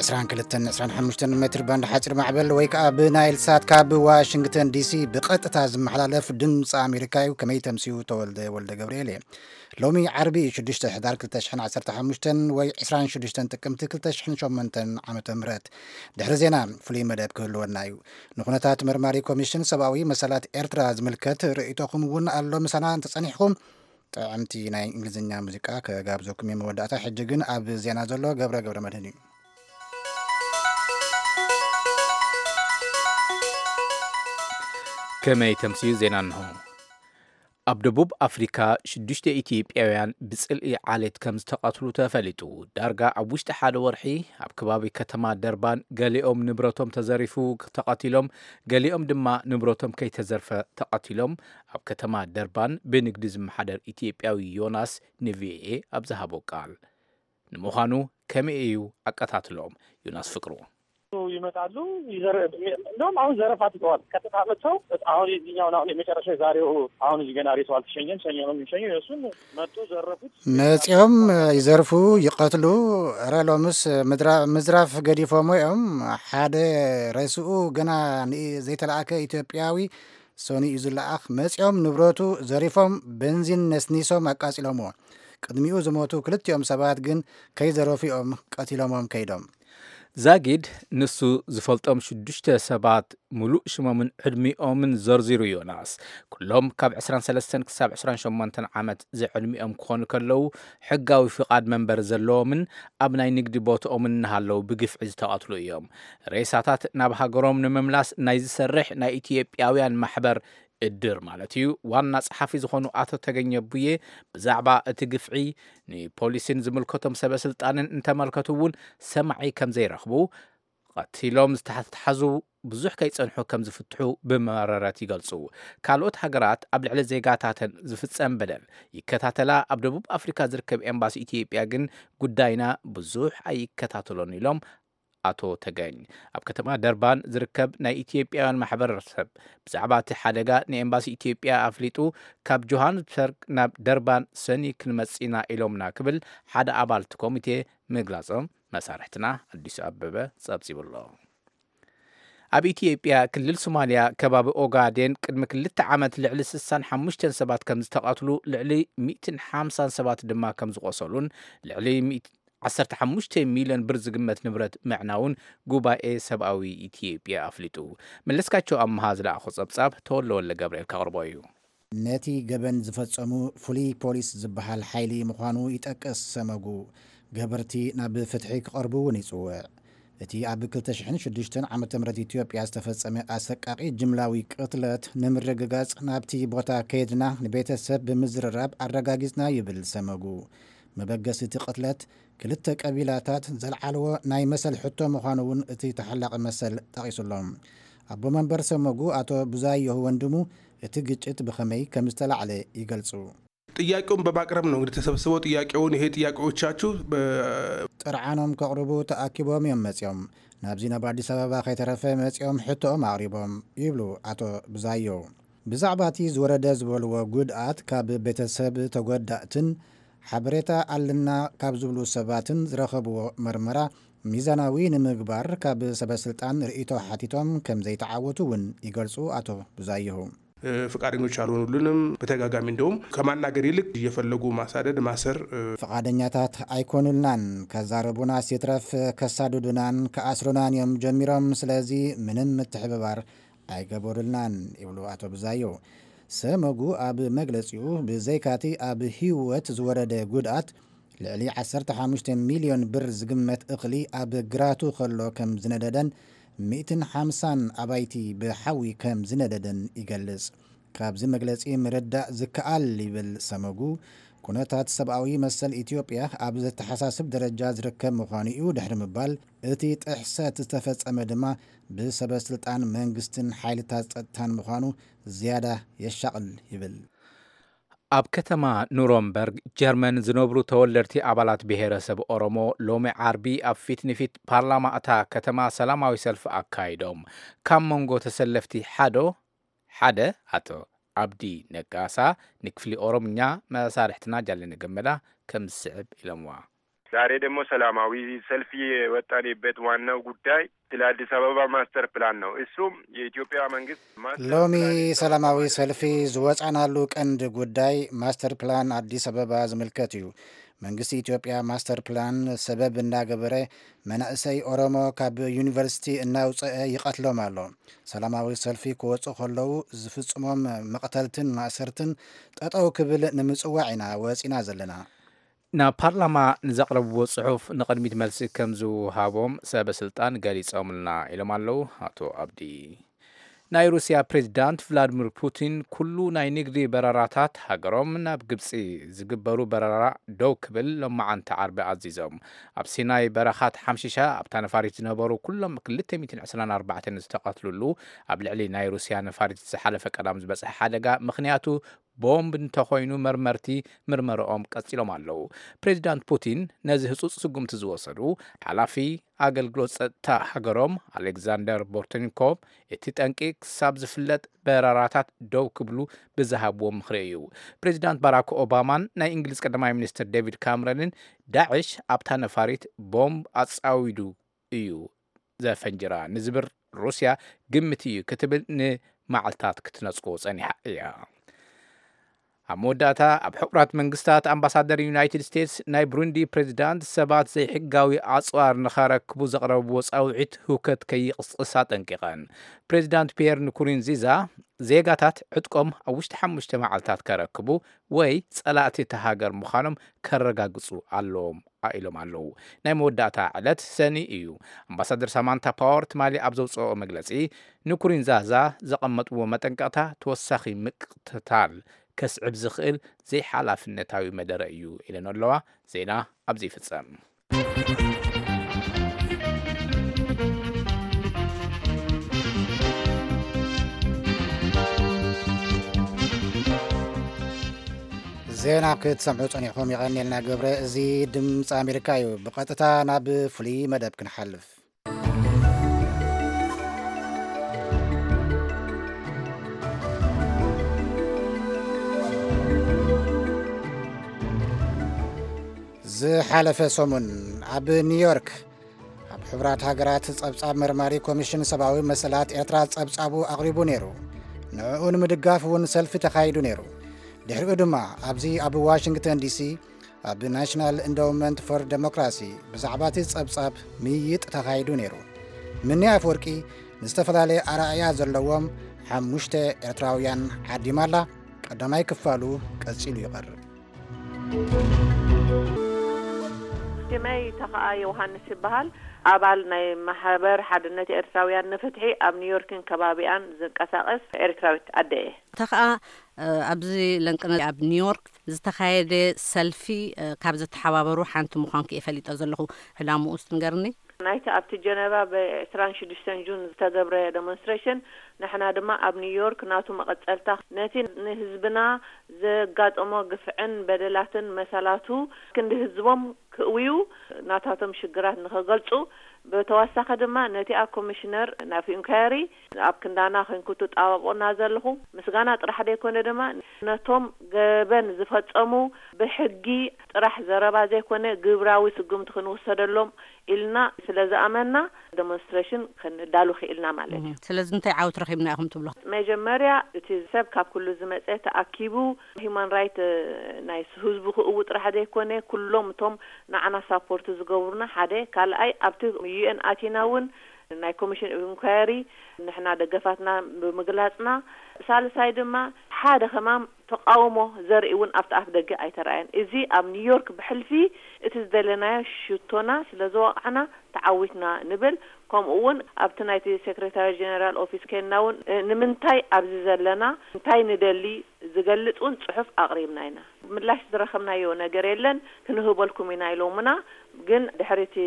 ዕስራን ክልተን ዕስራን ሓሙሽተን ሜትር ባንድ ሓፂር ማዕበል ወይ ከዓ ብናይል ሳት ካብ ዋሽንግተን ዲሲ ብቐጥታ ዝመሓላለፍ ድምፂ ኣሜሪካ እዩ። ከመይ ተምስዩ? ተወልደ ወልደ ገብርኤል እየ። ሎሚ ዓርቢ ሽዱሽተ ሕዳር ክልተ ሽሕን ዓሰርተ ሓሙሽተን ወይ ዕስራን ሽዱሽተን ጥቅምቲ ክልተ ሽሕን ሸሞንተን ዓመተ ምህረት። ድሕሪ ዜና ፍሉይ መደብ ክህልወና እዩ። ንኩነታት መርማሪ ኮሚሽን ሰብኣዊ መሰላት ኤርትራ ዝምልከት ርእይቶኹም እውን ኣሎ ምሳና እንተጸኒሕኹም። ጥዕምቲ ናይ እንግሊዝኛ ሙዚቃ ከጋብዘኩም እየ መወዳእታ። ሕጂ ግን ኣብ ዜና ዘሎ ገብረ ገብረ መድህን እዩ። ከመይ ተምስዩ ዜና እንሆ። ኣብ ደቡብ ኣፍሪካ ሽዱሽተ ኢትዮጵያውያን ብጽልኢ ዓሌት ከም ዝተቐትሉ ተፈሊጡ። ዳርጋ ኣብ ውሽጢ ሓደ ወርሒ ኣብ ከባቢ ከተማ ደርባን ገሊኦም ንብረቶም ተዘሪፉ ተቐቲሎም፣ ገሊኦም ድማ ንብረቶም ከይተዘርፈ ተቐቲሎም። ኣብ ከተማ ደርባን ብንግዲ ዝመሓደር ኢትዮጵያዊ ዮናስ ንቪኦኤ ኣብ ዝሃቦ ቃል፣ ንምዃኑ ከመይ እዩ ኣቀታትሎም? ዮናስ ፍቅሩ። ይመጣሉ፣ ይዘረ-፣ እንደውም አሁን ዘረፋ ትተዋል። ቀጥታ መጥተው አሁን የዚህኛውን አሁን የመጨረሻ የዛሬው አሁን እዚህ ገና ሬሳው አልተሸኘም። ሰኞ ነው የሚሸኘው። የእሱን መጡ፣ ዘረፉት። መጺኦም ይዘርፉ፣ ይቐትሉ። እረ ሎምስ ምድራ-፣ ምዝራፍ ገዲፎሞ እዮም። ሓደ ሬስኡ ገና ን-፣ ዘይተላእከ ኢትዮጵያዊ ሰኑይ እዩ ዝለኣኽ። መጺኦም ንብረቱ ዘሪፎም፣ በንዚን ነስኒሶም ኣቃጺሎምዎ። ቅድሚኡ ዝሞቱ ክልቲኦም ሰባት ግን ከይዘረፉ እዮም ቀቲሎሞም ከይዶም። ዛጊድ ንሱ ዝፈልጦም ሽዱሽተ ሰባት፣ ምሉእ ሽሞምን ዕድሚኦምን ዘርዚሩ ዮናስ። ኩሎም ካብ ዕስራን ሰለስተን ክሳብ ዕስራን ሸሞንተን ዓመት ዝዕድሚኦም ክኾኑ ከለዉ፣ ሕጋዊ ፍቓድ መንበሪ ዘለዎምን ኣብ ናይ ንግዲ ቦትኦምን እናሃለዉ ብግፍዒ ዝተቐትሉ እዮም። ሬሳታት ናብ ሃገሮም ንምምላስ ናይ ዝሰርሕ ናይ ኢትዮጵያውያን ማሕበር፣ እድር ማለት እዩ፣ ዋና ጸሓፊ ዝኾኑ ኣቶ ተገኘ ቡዬ ብዛዕባ እቲ ግፍዒ ንፖሊስን ዝምልከቶም ሰበ ስልጣንን እንተመልከቱ እውን ሰማዒ ከም ዘይረኽቡ፣ ቀቲሎም ዝተሓዙ ብዙሕ ከይጸንሑ ከም ዝፍትሑ ብመረረት ይገልጹ። ካልኦት ሃገራት ኣብ ልዕሊ ዜጋታተን ዝፍጸም በደል ይከታተላ። ኣብ ደቡብ ኣፍሪካ ዝርከብ ኤምባሲ ኢትዮጵያ ግን ጉዳይና ብዙሕ ኣይከታተሎን ኢሎም ኣቶ ተገኝ። ኣብ ከተማ ደርባን ዝርከብ ናይ ኢትዮጵያውያን ማሕበረሰብ ብዛዕባ እቲ ሓደጋ ንኤምባሲ ኢትዮጵያ ኣፍሊጡ፣ ካብ ጆሃንስበርግ ናብ ደርባን ሰኒ ክንመጽእ ኢና ኢሎምና ክብል ሓደ ኣባል እቲ ኮሚቴ ምግላጾም መሳርሕትና ኣዲሱ ኣበበ ጸብጺቡ ኣሎ። ኣብ ኢትዮጵያ ክልል ሶማልያ ከባቢ ኦጋዴን ቅድሚ ክልተ ዓመት ልዕሊ ስሳን ሓሙሽተን ሰባት ከም ዝተቐትሉ፣ ልዕሊ ሚእትን ሓምሳን ሰባት ድማ ከም ዝቖሰሉን ልዕሊ ሚእቲ ዓሰርተ ሓሙሽተ ሚልዮን ብር ዝግመት ንብረት ምዕናውን ጉባኤ ሰብኣዊ ኢትዮጵያ ኣፍሊጡ። መለስካቸው ኣምሃ ዝለኣኾ ጸብጻብ ተወልደ ወልደ ገብርኤል ከቕርቦ እዩ። ነቲ ገበን ዝፈጸሙ ፍሉይ ፖሊስ ዝበሃል ሓይሊ ምዃኑ ይጠቅስ ሰመጉ። ገበርቲ ናብ ፍትሒ ክቐርቡ እውን ይጽውዕ። እቲ ኣብ ክልተ ሽሕን ሽዱሽተን ዓመተ ምህረት ኢትዮጵያ ዝተፈጸመ ኣሰቃቒ ጅምላዊ ቅትለት ንምርግጋጽ ናብቲ ቦታ ከይድና ንቤተሰብ ብምዝርራብ ኣረጋጊጽና ይብል ሰመጉ። መበገሲ እቲ ቅትለት ክልተ ቀቢላታት ዘልዓልዎ ናይ መሰል ሕቶ ምዃኑ እውን እቲ ተሓላቒ መሰል ጠቒሱሎም። ኣቦ መንበር ሰመጉ ኣቶ ብዙኣየሁ ወንድሙ እቲ ግጭት ብኸመይ ከም ዝተላዕለ ይገልጹ። ጥያቄውን በማቅረብ ነው እንግዲህ ተሰብስበው ጥያቄውን፣ ይሄ ጥያቄዎቻችሁ በ- ጥርዓኖም ከቕርቡ ተኣኪቦም እዮም መጺኦም። ናብዚ ናብ ኣዲስ ኣበባ ከይተረፈ መጺኦም ሕቶኦም ኣቕሪቦም ይብሉ ኣቶ ብዛዮ። ብዛዕባ እቲ ዝወረደ ዝበልዎ ጉድኣት ካብ ቤተሰብ ተጎዳእትን ሓበሬታ ኣለና ካብ ዝብሉ ሰባትን ዝረኸብዎ መርመራ ሚዛናዊ ንምግባር ካብ ሰበ ስልጣን ርእይቶ ሓቲቶም ከም ዘይተዓወቱ እውን ይገልጹ ኣቶ ብዛየሁ። እ፣ ፈቃደኞች አልሆኑልንም። በተደጋጋሚ እንደውም ከማናገር ይልቅ እየፈለጉ ማሳደድ፣ ማሰር፣ እ፣ ፈቃደኛታት ኣይኮኑልናን። ከዛረቡናስ ይትረፍ ከሳድዱናን ከኣስሩናን እዮም ጀሚሮም። ስለዚ ምንም ምትሕብባር ኣይገበሩልናን ይብሉ ኣቶ ብዛዮ። ሰመጉ ኣብ መግለጺኡ ብዘይካቲ ኣብ ህይወት ዝወረደ ጉድኣት ልዕሊ ዓሰርተ ሓሙሽተ ሚልዮን ብር ዝግመት እኽሊ ኣብ ግራቱ ከሎ ከም ዝነደደን ሚእትን ሓምሳን ኣባይቲ ብሓዊ ከም ዝነደደን ይገልጽ። ካብዚ መግለጺ ምርዳእ ዝከኣል ይብል ሰመጉ፣ ኩነታት ሰብኣዊ መሰል ኢትዮጵያ ኣብ ዘተሓሳስብ ደረጃ ዝርከብ ምዃኑ እዩ ድሕሪ ምባል፣ እቲ ጥሕሰት ዝተፈጸመ ድማ ብሰበ ስልጣን መንግስትን ሓይልታት ጸጥታን ምዃኑ ዝያዳ የሻቕል ይብል። ኣብ ከተማ ኑረምበርግ ጀርመን ዝነብሩ ተወለድቲ ኣባላት ብሄረሰብ ኦሮሞ ሎሚ ዓርቢ ኣብ ፊት ንፊት ፓርላማ እታ ከተማ ሰላማዊ ሰልፊ ኣካይዶም። ካብ መንጎ ተሰለፍቲ ሓዶ ሓደ ኣቶ ኣብዲ ነጋሳ ንክፍሊ ኦሮምኛ መሳርሕትና ጃለነ ገመዳ ከም ዝስዕብ ኢሎምዋ። ዛሬ ደግሞ ሰላማዊ ሰልፍ የወጣንበት ዋናው ጉዳይ ስለ አዲስ አበባ ማስተር ፕላን ነው። እሱም የኢትዮጵያ መንግስት ማስተር ሎሚ ፕላን ሰላማዊ ሰልፊ ዝወጻናሉ ቀንዲ ጉዳይ ማስተር ፕላን ኣዲስ ኣበባ ዝምልከት እዩ። መንግስቲ ኢትዮጵያ ማስተር ፕላን ሰበብ እናገበረ መናእሰይ ኦሮሞ ካብ ዩኒቨርሲቲ እናውፅአ ይቐትሎም ኣሎ። ሰላማዊ ሰልፊ ክወፁ ከለዉ ዝፍጽሞም መቕተልትን ማእሰርትን ጠጠው ክብል ንምጽዋዕ ኢና ወፂና ዘለና። ናብ ፓርላማ ንዘቕረብዎ ጽሑፍ ንቕድሚት መልሲ ከም ዝወሃቦም ሰበ ስልጣን ገሊጾምልና ኢሎም ኣለዉ ኣቶ ኣብዲ። ናይ ሩስያ ፕሬዚዳንት ቭላድሚር ፑቲን ኩሉ ናይ ንግዲ በረራታት ሃገሮም ናብ ግብጺ ዝግበሩ በረራ ደው ክብል ሎማዓንቲ ዓርቢ ኣዚዞም። ኣብ ሲናይ በረኻ ተሓምሺሻ ኣብታ ነፋሪት ዝነበሩ ኩሎም ክልተ ሚእትን ዕስራን ኣርባዕተን ዝተቐትሉሉ ኣብ ልዕሊ ናይ ሩስያ ነፋሪት ዝሓለፈ ቀዳም ዝበጽሐ ሓደጋ ምኽንያቱ ቦምብ እንተኾይኑ መርመርቲ ምርመርኦም ቀጺሎም ኣለዉ። ፕሬዚዳንት ፑቲን ነዚ ህጹጽ ስጉምቲ ዝወሰዱ ሓላፊ ኣገልግሎት ጸጥታ ሃገሮም ኣሌክዛንደር ቦርትኒኮቭ እቲ ጠንቂ ክሳብ ዝፍለጥ በረራታት ደው ክብሉ ብዝሃብዎ ምኽሪ እዩ። ፕሬዚዳንት ባራክ ኦባማን ናይ እንግሊዝ ቀዳማይ ሚኒስትር ዴቪድ ካምረንን ዳዕሽ ኣብታ ነፋሪት ቦምብ ኣጻዊዱ እዩ ዘፈንጅራ ንዝብል ሩስያ ግምት እዩ ክትብል ንመዓልታት ክትነጽጎ ጸኒሓ እያ። ኣብ መወዳእታ ኣብ ሕቡራት መንግስታት ኣምባሳደር ዩናይትድ ስቴትስ ናይ ብሩንዲ ፕሬዚዳንት ሰባት ዘይሕጋዊ ኣጽዋር ንኸረክቡ ዘቕረብዎ ጻውዒት ህውከት ከይቕስቅስ ኣጠንቂቐን። ፕሬዚዳንት ፒየር ንኩሩንዚዛ ዜጋታት ዕጥቆም ኣብ ውሽጢ ሓሙሽተ መዓልታት ከረክቡ ወይ ጸላእቲ እታ ሃገር ምዃኖም ከረጋግጹ ኣለዎም ኢሎም ኣለዉ። ናይ መወዳእታ ዕለት ሰኒ እዩ። ኣምባሳደር ሳማንታ ፓወር ትማሊ ኣብ ዘውፅኦ መግለፂ ንኩሪንዛዛ ዘቐመጥዎ መጠንቀቕታ ተወሳኺ ምቅትታል ከስዕብ ዝኽእል ዘይሓላፍነታዊ መደረ እዩ ኢለን ኣለዋ። ዜና ኣብዚ ይፍጸም። ዜና ክትሰምዑ ጸኒሕኩም የቐንየልና ገብረ። እዚ ድምፂ ኣሜሪካ እዩ። ብቐጥታ ናብ ፍሉይ መደብ ክንሓልፍ። ዝሓለፈ ሰሙን ኣብ ኒውዮርክ ኣብ ሕቡራት ሃገራት ጸብጻብ መርማሪ ኮሚሽን ሰብኣዊ መሰላት ኤርትራ ጸብጻቡ ኣቕሪቡ ነይሩ። ንዕኡ ንምድጋፍ እውን ሰልፊ ተኻይዱ ነይሩ። ድሕሪኡ ድማ ኣብዚ ኣብ ዋሽንግተን ዲሲ ኣብ ናሽናል ኢንዳውመንት ፎር ደሞክራሲ ብዛዕባ እቲ ጸብጻብ ምይይጥ ተኻይዱ ነይሩ። ምኒ ኣፍወርቂ ንዝተፈላለየ ኣረኣእያ ዘለዎም ሓሙሽተ ኤርትራውያን ዓዲማ ኣላ። ቀዳማይ ክፋሉ ቀጺሉ ይቐርብ። ሽመይ ተኸኣ ዮሃንስ ይበሃል። ኣባል ናይ ማሕበር ሓድነት ኤርትራውያን ንፍትሒ ኣብ ኒውዮርክን ከባቢኣን ዝንቀሳቐስ ኤርትራዊት ኣደ እየ። ተኸኣ፣ እ፣ ኣብዚ ለንቅነ ኣብ ኒውዮርክ ዝተኻየደ ሰልፊ፣ እ፣ ካብ ዘተሓባበሩ ሓንቲ ምዃንኪ እየ ፈሊጠ ዘለኹ። ዕላምኡ እስቲ ንገርኒ። ናይቲ ኣብቲ ጀነቫ ብ ዕስራን ሽዱሽተን ጁን ዝተገብረ ደሞንስትሬሽን፣ ንሕና ድማ ኣብ ኒውዮርክ ናቱ መቐጸልታ፣ ነቲ ንህዝብና ዘጋጠሞ ግፍዕን በደላትን መሰላቱ ክንዲ ህዝቦም ክእውዩ ናታቶም ሽግራት ንኸገልጹ፣ ብተወሳኺ ድማ ነቲኣ ኮሚሽነር ናፍ ኢንኳየሪ ኣብ ክንዳና ኮንኩ ትጣበቑና ዘለኹ ምስጋና ጥራሕ ዘይኮነ ድማ ነቶም ገበን ዝፈጸሙ ብሕጊ ጥራሕ ዘረባ ዘይኮነ ግብራዊ ስጉምቲ ክንውሰደሎም ኢልና ስለ ዝኣመንና ደሞንስትሬሽን ከነዳሉ ክኢልና ማለት እዩ። እም፣ ስለዚ እንታይ ዓወት ረኺብና ኢኹም ትብሉ? መጀመርያ እቲ ሰብ ካብ ኩሉ ዝመጸ ተኣኪቡ ሂውማን ራይት፣ እ፣ ናይ ህዝቡ ክእው ጥራሕ ዘይኮነ ኩሎም እቶም ንዓና ሳፖርት ዝገብሩና ሓደ፣ ካልኣይ ኣብቲ ዩ ኤን ኣቲና እውን ናይ ኮሚሽን ኦፍ ኢንኳየሪ ንሕና ደገፋትና ብምግላጽና፣ ሳልሳይ ድማ ሓደ ከማም ተቃውሞ ዘርኢ እውን ኣብቲ ኣፍ ደገ ኣይተራእየን። እዚ ኣብ ኒውዮርክ ብሕልፊ እቲ ዝደለናዮ ሽቶና ስለ ዝወቃዕና ተዓዊትና ንብል። ከምኡ እውን ኣብቲ ናይቲ ሴክሬታሪ ጀነራል ኦፊስ ኬንና እውን፣ እ፣ ንምንታይ ኣብዚ ዘለና፣ እንታይ ንደሊ ዝገልጽ እውን ጽሑፍ ኣቕሪብና ኢና። ምላሽ ዝረኸብናዮ ነገር የለን፣ ክንህበልኩም ኢና ኢሎምና። ግን ድሕሪ እቲ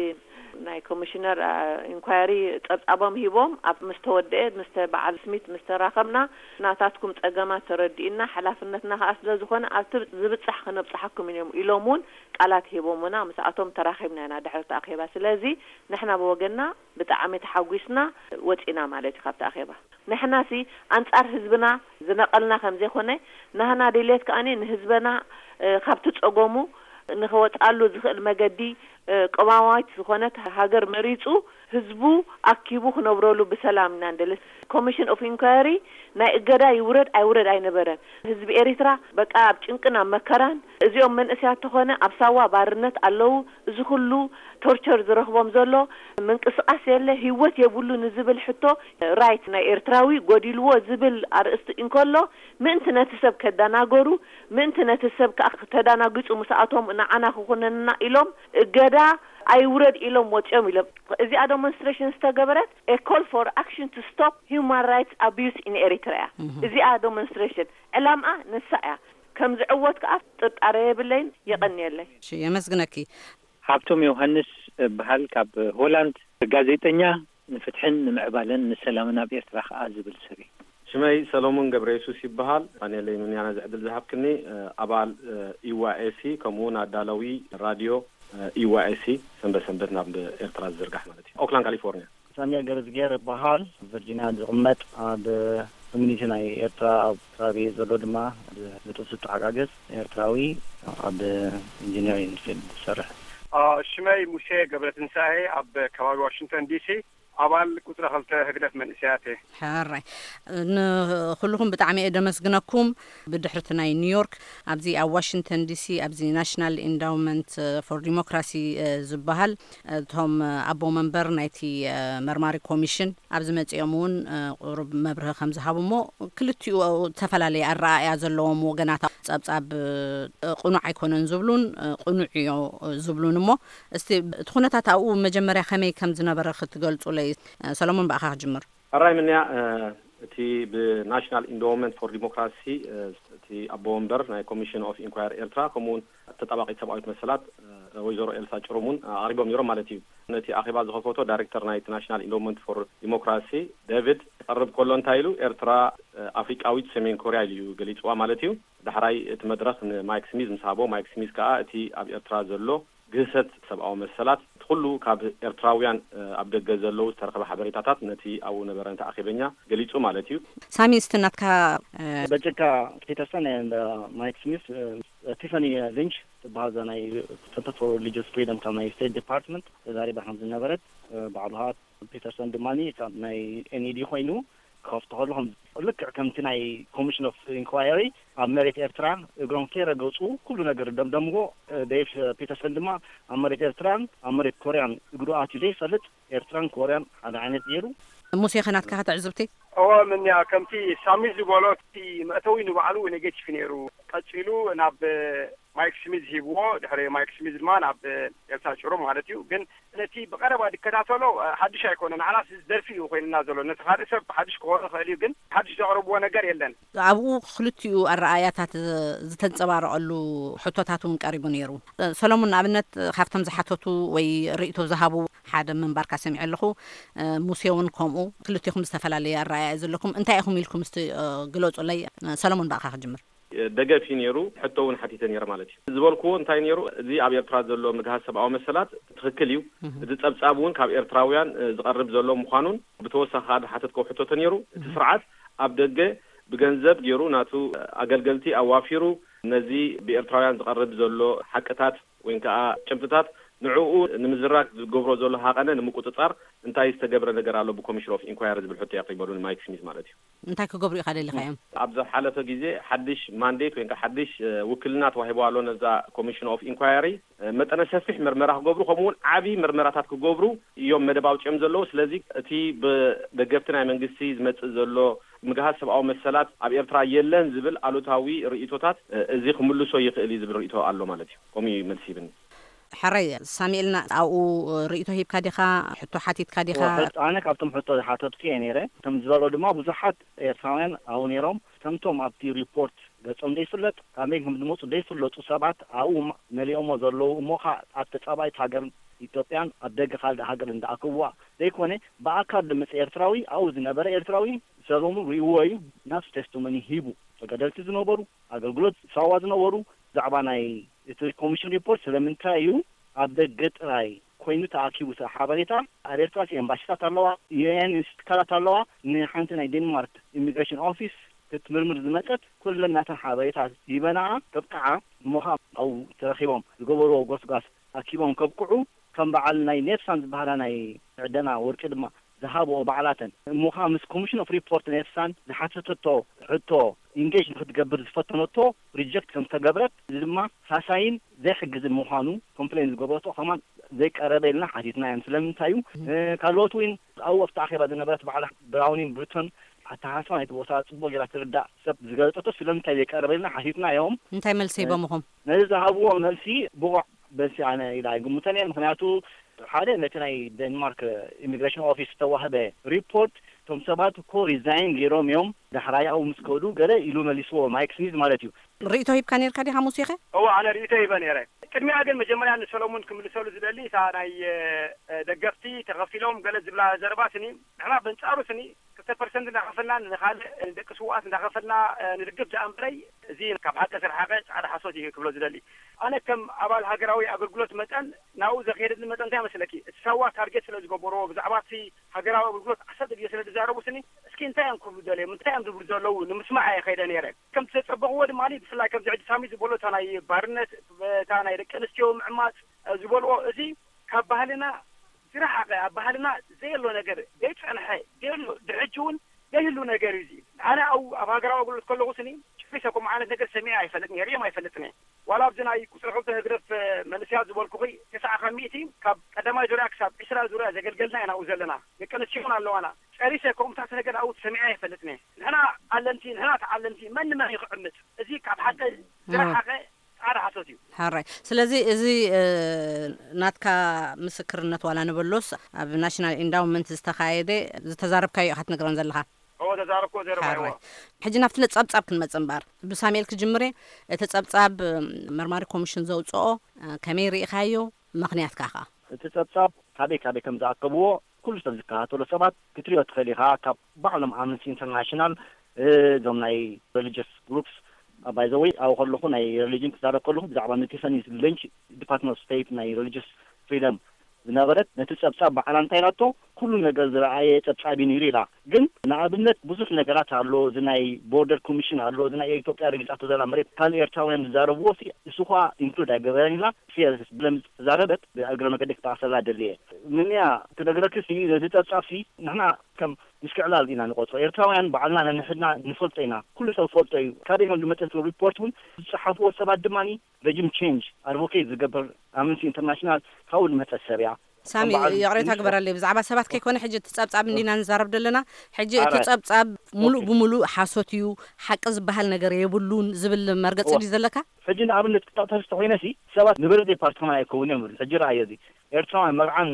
ናይ ኮሚሽነር፣ አ፣ ኢንኳየሪ ጸብጻቦም ሂቦም ኣብ ምስ ተወደአ፣ ምስ ተ-፣ በዓል ስሚት ምስ ተራኸብና፣ ናታትኩም ጸገማት ተረዲእና፣ ሓላፍነትና ከኣ ስለ ዝኾነ ኣብቲ ዝብጻሕ ከነብጽሓኩም እዮም ኢሎም እውን ቃላት ሂቦምና። ምስኣቶም ተራኺብና ኢና ድሕሪ እቲ ኣኼባ። ስለዚ ንሕና ብወገንና ብጣዕሚ ተሓጒስና ወጺና ማለት እዩ ካብቲ ኣኼባ። ንሕናሲ ኣንጻር ህዝብና ዝነቐልና ከም ዘይኮነ፣ ናህና ድሌት ከኣኒ ንህዝበና፣ እ፣ ካብቲ ጸገሙ ንኸወጽኣሉ ዝኽእል መገዲ ቅዋማዊት ዝኾነት ሃገር መሪጹ ህዝቡ ኣኪቡ ክነብረሉ ብሰላም ኢና ንደሊ። ኮሚሽን ኦፍ ኢንኳየሪ ናይ እገዳ ይውረድ ኣይውረድ ኣይነበረን። ህዝቢ ኤሪትራ በቃ ኣብ ጭንቅን ኣብ መከራን፣ እዚኦም መንእሰያት ተኾነ ኣብ ሳዋ ባርነት ኣለዉ። እዚ ኩሉ ቶርቸር ዝረኽቦም ዘሎ ምንቅስቃስ የለ፣ ህይወት የብሉ ንዝብል ሕቶ ራይት ናይ ኤርትራዊ ጎዲልዎ ዝብል ኣርእስቲ እንከሎ፣ ምእንቲ ነቲ ሰብ ከዳናገሩ፣ ምእንቲ ነቲ ሰብ ከኣ ተዳናጊጹ ምስኣቶም ንዓና ክኹነንና ኢሎም እገዳ ኣይውረድ ኢሎም ወጺኦም ኢሎም። እዚኣ ዶሞንስትሬሽን ዝተገበረት a call for action to stop human rights abuse in Eritrea። እዚኣ ዶሞንስትሬሽን ዕላምኣ ንሳ እያ። ከም ዝዕወት ከኣ ጥርጣረ የብለይን። የቐንየለይ። እሺ፣ የመስግነኪ። ሃብቶም ዮሃንስ እበሃል፣ ካብ ሆላንድ፣ ጋዜጠኛ፣ ንፍትሕን ንምዕባለን ንሰላምን ኣብ ኤርትራ ከኣ ዝብል ሰብ እየ። ሽመይ ሰሎሞን ገብረ የሱስ ይበሃል። ፋኔለይ ምንያና ዝዕድል ዝሃብክኒ፣ ኣባል ኢዋኤሲ፣ ከምኡ እውን ኣዳለዊ ራድዮ ኢዋኤሲ፣ ሰንበት ሰንበት ናብ ኤርትራ ዝዝርጋሕ ማለት እዩ። ኦክላንድ ካሊፎርኒያ። ሳሙኤል ገብረዝጊሄር እበሃል፣ ቨርጂኒያ ዝቕመጥ፣ ኣብ ኮሚኒቲ ናይ ኤርትራ ኣብ ከባቢ ዘሎ ድማ ብጥብሲ ተሓጋገዝ ኤርትራዊ ኣብ ኢንጂነሪንግ ፊልድ ዝሰርሕ። ሽመይ ሙሴ ገብረትንሳኤ፣ ኣብ ከባቢ ዋሽንግተን ዲሲ፣ ኣባል ቁጽሪ ክልተ ህግደፍ መንእሰያት እየ። ሕራይ። ንኹልኹም ብጣዕሚ እየ ደመስግነኩም። ብድሕርቲ ናይ ኒውዮርክ፣ ኣብዚ ኣብ ዋሽንግተን ዲሲ፣ ኣብዚ ናሽናል ኢንዳውመንት ፎር ዲሞክራሲ ዝበሃል፣ እቶም ኣቦ መንበር ናይቲ መርማሪ ኮሚሽን ኣብዚ መጺኦም እውን ቁሩብ መብርሂ ከም ዝሃቡ እሞ፣ ክልቲኡ ዝተፈላለየ ኣረኣእያ ዘለዎም ወገናት፣ ጸብጻብ ቅኑዕ ኣይኮነን ዝብሉን ቅኑዕ እዮ ዝብሉን እሞ፣ እስቲ እቲ ኩነታት ኣብኡ መጀመርያ ከመይ ከም ዝነበረ ክትገልጹለይ። ሰሎሞን፣ ብኣኻ ክጅምር። ሕራይ ምንያ፣ እቲ ብናሽናል ኢንዶመንት ፎር ዲሞክራሲ፣ እቲ ኣቦ ወንበር ናይ ኮሚሽን ኦፍ ኢንኳየር ኤርትራ፣ ከምኡ እውን ተጣባቂት ሰብኣዊት መሰላት፣ ወይዘሮ ኤልሳ ጭሩም እውን ኣቕሪቦም ነይሮም ማለት እዩ። ነቲ ኣኼባ ዝኸፈቶ ዳይሬክተር ናይቲ ናሽናል ኢንዶመንት ፎር ዲሞክራሲ ዴቪድ ክቐርብ ከሎ እንታይ ኢሉ፣ ኤርትራ ኣፍሪቃዊት ሰሜን ኮርያ ኢሉ እዩ ገሊጽዋ ማለት እዩ። ዳሕራይ እቲ መድረኽ ንማይክ ስሚዝ ምስ ሃቦ፣ ማይክ ስሚዝ ከኣ እቲ ኣብ ኤርትራ ዘሎ ግህሰት ሰብኣዊ መሰላት፣ እቲ ኩሉ ካብ ኤርትራውያን ኣብ ደገ ዘለዉ ዝተረኸበ ሓበሬታታት ነቲ ኣብኡ ነበረ ነቲ ኣኼበኛ ገሊጹ ማለት እዩ። ሳሚ፣ እስቲ ናትካ። በጀካ ፒተርሰን and ማይክ ስሚዝ፣ ቲፋኒ ሊንች ትበሃል፣ እዛ ናይ ሰንተር ፎር ሪሊጅስ ፍሪደም ካብ ናይ ስቴት ዲፓርትመንት ተዛሪባ ከም ዝነበረት፣ ባዕሉ ኸኣ ፒተርሰን ድማ ካብ ናይ ኤንኢዲ ኮይኑ ክኸፍቶ ከሎ፣ ከም ልክዕ ከምቲ ናይ ኮሚሽን ኦፍ ኢንኳየሪ ኣብ መሬት ኤርትራ እግሮም ከይረገጹ ኩሉ ነገር ደምደምዎ። ዴቭ ፒተርሰን ድማ ኣብ መሬት ኤርትራን ኣብ መሬት ኮርያን እግሩ ኣትዩ ዘይፈልጥ፣ ኤርትራን ኮርያን ሓደ ዓይነት ገይሩ። ሙሴ፣ ከ ናትካ ትዕዝብቲ? እወ፣ ምንያ ከምቲ ሳሚ ዝበሎ፣ እቲ መእተዊ ንባዕሉ ኔጌቲቭ ነይሩ። ቀጺሉ ናብ ማይክ ስሚዝ ሂብዎ፣ ድሕሪ ማይክ ስሚዝ ድማ ናብ ኤልሳ ጭሩም ማለት እዩ። ግን ነቲ ብቐረባ ዝከታተሎ ሓድሽ ኣይኮነን። ንዓናስ ደርፊ እዩ ኮይንና ዘሎ። ነቲ ካልእ ሰብ ሓድሽ ክኾን ይኽእል እዩ፣ ግን ሓድሽ ዘቕረብዎ ነገር የለን። ኣብኡ ክልቲኡ ኣረኣእያታት ዝተንጸባረቐሉ ሕቶታት እውን ቀሪቡ ነይሩ። ሰሎሙን፣ ንኣብነት፣ ካብቶም ዝሓተቱ ወይ ርእይቶ ዝሃቡ ሓደ ምንባርካ ሰሚዐ ኣለኹ። ሙሴ እውን ከምኡ። ክልቲኹም ዝተፈላለየ ኣረኣእያ ዘለኩም። እንታይ ኢኹም ኢልኩም እስቲ ግለጹለይ። ሰሎሙን፣ ብኣኻ ክጅምር። ደገፍ እዩ ነይሩ። ሕቶ እውን ሓቲተ ነይረ ማለት እዩ። ዝበልክዎ እንታይ ነይሩ፣ እዚ ኣብ ኤርትራ ዘሎ ምግሃስ ሰብኣዊ መሰላት ትኽክል እዩ። እዚ ጸብጻብ እውን ካብ ኤርትራውያን ዝቐርብ ዘሎ ምዃኑን፣ ብተወሳኺ ከዓ ዝሓተትከው ሕቶቶ ነይሩ። እቲ ስርዓት ኣብ ደገ ብገንዘብ ገይሩ ናቱ ኣገልገልቲ ኣዋፊሩ ነዚ ብኤርትራውያን ዝቐርብ ዘሎ ሓቅታት ወይ ከዓ ጭብጥታት ንዕኡ ንምዝራግ ዝገብሮ ዘሎ ሃቐነ ንምቁጽጻር እንታይ ዝተገብረ ነገር ኣሎ ብኮሚሽን ኦፍ ኢንኳየሪ ዝብል ሕቶ የቕሪበሉ ንማይክ ስሚዝ ማለት እዩ። እንታይ ክገብሩ ኢኻ ደሊኻዮም? ኣብ ዝሓለፈ ግዜ ሓድሽ ማንዴት ወይ ከዓ ሓድሽ ውክልና ተዋሂቦ ኣሎ ነዛ ኮሚሽን ኦፍ ኢንኳየሪ፣ መጠነ ሰፊሕ ምርመራ ክገብሩ፣ ከምኡ እውን ዓቢ ምርመራታት ክገብሩ እዮም መደብ ኣውጺኦም ዘለዉ። ስለዚ እቲ ብደገፍቲ ናይ መንግስቲ ዝመጽእ ዘሎ ምግሃስ ሰብኣዊ መሰላት ኣብ ኤርትራ የለን ዝብል ኣሉታዊ ርእይቶታት፣ እዚ ክምልሶ ይኽእል እዩ ዝብል ርእይቶ ኣሎ ማለት እዩ። ከምኡ እዩ መልሲ ይብኒ። ሕራይ ሳሙኤልና፣ ኣብኡ ርእይቶ ሂብካ ዲኻ? ሕቶ ሓቲትካ ዲኻ? ኣነ ካብቶም ሕቶ ዝሓተትኩ እየ ነይረ። ከም ዝበሎ ድማ ብዙሓት ኤርትራውያን ኣብኡ ነይሮም። ከምቶም ኣብቲ ሪፖርት ገጾም ዘይፍለጥ፣ ካበይ ከም ዝመጹ ዘይፍለጡ ሰባት ኣብኡ መሊኦሞ ዘለዉ፣ እሞ ኸኣ ኣብ ተጻባኢት ሃገር ኢትዮጵያን ኣብ ደገ ካልእ ሃገር እንዳኣከብዋ ዘይኮነ፣ ብኣካል ዝመጸ ኤርትራዊ፣ ኣብኡ ዝነበረ ኤርትራዊ ሰሎሙን ርእይዎ እዩ። ናሱ ቴስቲሞኒ ሂቡ። ተጋደልቲ ዝነበሩ፣ ኣገልግሎት ሳዋ ዝነበሩ፣ ብዛዕባ ናይ እቲ ኮሚሽን ሪፖርት ስለምንታይ እዩ ኣብ ደገ ጥራይ ኮይኑ ተኣኪቡ እቲ ሓበሬታ? ኣብ ኤርትራ ኤምባሲታት ኣለዋ፣ ዩ ኤን ኢንስቲትካላት ኣለዋ። ንሓንቲ ናይ ዴንማርክ ኢሚግሬሽን ኦፊስ ክትምርምር ዝመጸት ኩለን ናተን ሓበሬታ ሂበናኣ፣ ከብቅዓ እሞ ኸኣ ኣብኡ ተረኺቦም ዝገበርዎ ጎስጓስ ኣኪቦም ከብቅዑ፣ ከም በዓል ናይ ኔፍሳን ዝበሃላ ናይ ዕደና ወርቂ ድማ ዝሃብኦ ባዕላተን እሞኻ ምስ ኮሚሽን ኦፍ ሪፖርት ኔፍሳን ዝሓተተቶ ሕቶ ኢንጌጅ ንክትገብር ዝፈተነቶ ሪጀክት ከም ዝተገብረት፣ እዚ ድማ ሳሳይን ዘይሕግዝን ምዃኑ ኮምፕሌን ዝገበረቶ ከማን ዘይቀረበ ኢልና ሓቲትና እዮም። ስለምንታይ እዩ ካልኦት እውን ኣብኡ ኣብቲ ኣኼባ ዝነበረት ባዕላ ብራውኒን ብሪቶን ኣተሓሳስባ ናይቲ ቦታ ጽቡቕ ጌራ ትርዳእ ሰብ ዝገለጸቶ ስለምንታይ ዘይቀረበ ኢልና ሓቲትና እዮም። እንታይ መልሲ ሂቦምኹም? ነዚ ዝሃብዎ መልሲ ብቑዕ መልሲ ኣነ ኢላ ኣይግምቶን እየ። ምክንያቱ ሓደ ነቲ ናይ ዴንማርክ ኢሚግሬሽን ኦፊስ ዝተዋህበ ሪፖርት፣ እቶም ሰባት እኮ ሪዛይን ገይሮም እዮም፣ ዳሕራይ ኣብኡ ምስ ከዱ ገለ ኢሉ መሊስዎ፣ ማይክ ስሚዝ ማለት እዩ። ርእይቶ ሂብካ ነርካ ዲኻ ሙሴኸ? እወ፣ ኣነ ርእይቶ ሂበ ነይረ። ቅድሚያ ግን መጀመርያ ንሰሎሙን ክምልሰሉ ዝደሊ እታ ናይ ደገፍቲ ተኸፊሎም ገለ ዝብላ ዘረባትኒ፣ ንሕና በንጻሩ ስኒ ክልተ ፐርሰንት እንዳኸፈልና ንኻልእ ደቂ ስውኣት እንዳኸፈልና ንድግፍ ደኣ እምበረይ፣ እዚ ካብ ሓቂ ዝረሓቐ ጻዕዳ ሓሶት እዩ ክብሎ ዝደሊ። ኣነ ከም ኣባል ሃገራዊ ኣገልግሎት መጠን ናብኡ ዘኽየደኒ መጠን እንታይ መስለኪ? እቲ ሳዋ ታርጌት ስለ ዝገበርዎ ብዛዕባ እቲ ሃገራዊ ኣገልግሎት ዓሰርተ ግዜ ስለ ዝዛረቡ ስኒ፣ እስኪ እንታይ እዮም ክብሉ ደልዮም? እንታይ እዮም ዝብሉ ዘለዉ? ንምስማዕ እየ ከይደ ነይረ። ከም ዝተጸበቕዎ ድማ ብፍላይ ከምዚ ሕጂ ሳሚ ዝበሎ እታ ናይ ባርነት፣ እታ ናይ ደቂ ኣንስትዮ ምዕማጽ ዝበልዎ፣ እዚ ካብ ባህልና ዝረሓቐ፣ ኣብ ባህልና ዘየሎ ነገር፣ ዘይጸንሐ፣ ዘየሎ፣ ድሕጂ እውን ዘይህሉ ነገር እዩ እዚ። ኣነ ኣብ ኣብ ሃገራዊ ኣገልግሎት ከለኹ ስኒ ጭሪሰ ከምኡ ዓይነት ነገር ሰሚዐ ኣይፈልጥን እየ፣ ርእዮም ኣይፈልጥን እየ። ዋላ ኣብዚ ናይ ቁጽሪ ክልተ ህግደፍ መንእሰያት ዝበልኩኺ ተስዓ ካብ ሚእቲ ካብ ቀዳማይ ዙርያ ክሳብ ዕስራ ዙርያ ዘገልገልና ኢና ኣብኡ ዘለና። ደቂ ኣንስትዮ እውን ኣለዋና። ጸሪሰ ከምኡታት ነገር ኣብኡ ሰሚዐ ኣይፈልጥን እየ። ንሕና ኣለምቲ፣ ንሕና ተዓለምቲ መን ንመን እዩ ክዕምጽ? እዚ ካብ ሓቂ ዝረሓቐ ጻዕዳ ሓሶት እዩ። ሕራይ። ስለዚ እዚ ናትካ ምስክርነት ዋላ ንበሎስ ኣብ ናሽናል ኢንዳውመንት ዝተኻየደ ዝተዛረብካዮ ኢኻ ትነግረን ዘለኻ? እዎ፣ ተዛረብኩዎ ዘረባ። ሕራይ። ሕጂ ናብቲ ጸብጻብ ክንመጽእ እምበኣር፣ ብሳሙኤል ክጅምር እየ። እቲ ጸብጻብ መርማሪ ኮሚሽን ዘውጽኦ ከመይ ርኢኻዮ? ምኽንያትካ ኸኣ? እቲ ጸብጻብ ካበይ ካበይ ከም ዝኣከብዎ ኩሉ ሰብ ዝከታተሎ ሰባት ክትሪኦ ትኽእል ኢኻ። ካብ ባዕሎም ኣምነስቲ ኢንተርናሽናል፣ እዞም ናይ ሬሊጅስ ግሩፕስ፣ ባይ ዘ ወይ ኣብኡ ከለኹ ናይ ሬሊጅን ክዛረብ ከለኹ ብዛዕባ ነቲ ሰኒ ሌንች ዲፓርትመንት ኦፍ ስቴት ናይ ሬሊጅስ ፍሪደም ዝነበረት ነቲ ጸብጻብ ባዕላ እንታይ ኢላቶ፣ ኩሉ ነገር ዝረኣየ ጸብጻብ እዩ ነይሩ ኢላ። ግን ንኣብነት ብዙሕ ነገራት ኣሎ፣ እዚ ናይ ቦርደር ኮሚሽን ኣሎ፣ እዚ ናይ ኢትዮጵያ ረጊጻቶ ዘላ መሬት ካልእ ኤርትራውያን ዝዛረብዎ ሲ እሱ ኸኣ ኢንክሉድ ኣይገበረን ኢላ። ፌር ብለምስ ተዛረበት። ብእግረ መገዲ ክጠቕሰላ ደልየ ምንያ ክነግረክሲ ነዚ ጸብጻብሲ ንሕና ከም ምሽክዕላል ኢና ንቆጽሮ። ኤርትራውያን ባዕልና ነንሕድና ንፈልጦ ኢና። ኩሉ ሰብ ፈልጦ እዩ። ካበይ ከም ዝመጸ እቲ ሪፖርት እውን ዝጸሓፍዎ ሰባት ድማ ረጅም ቼንጅ ኣድቮኬት ዝገብር ኣምነስቲ ኢንተርናሽናል ካብኡ ዝመጸ ሰብ እያ። ሳሚ፣ ከም በዓል ይቕሬታ ሚኒስትር ግበረለይ፣ ብዛዕባ ሰባት ከይኮነ ሕጂ እቲ ጸብጻብ እንዲና ንዛረብ ዘለና። ሕጂ እቲ ኣረ፣ ጸብጻብ ሙሉእ ኦኬ። ብምሉእ ሓሶት እዩ፣ ሓቂ ዝበሃል ነገር የብሉን ዝብል መርገጺ እወ። ድዩ ዘለካ? ሕጂ ንኣብነት ክጠቕሰስ ተኾይነሲ ሰባት ንበለጸ ፓርቲና ኣይከውን እዮም ዝብል። ሕጂ ረኣዮ እዚ ኤርትራውያን መርዓን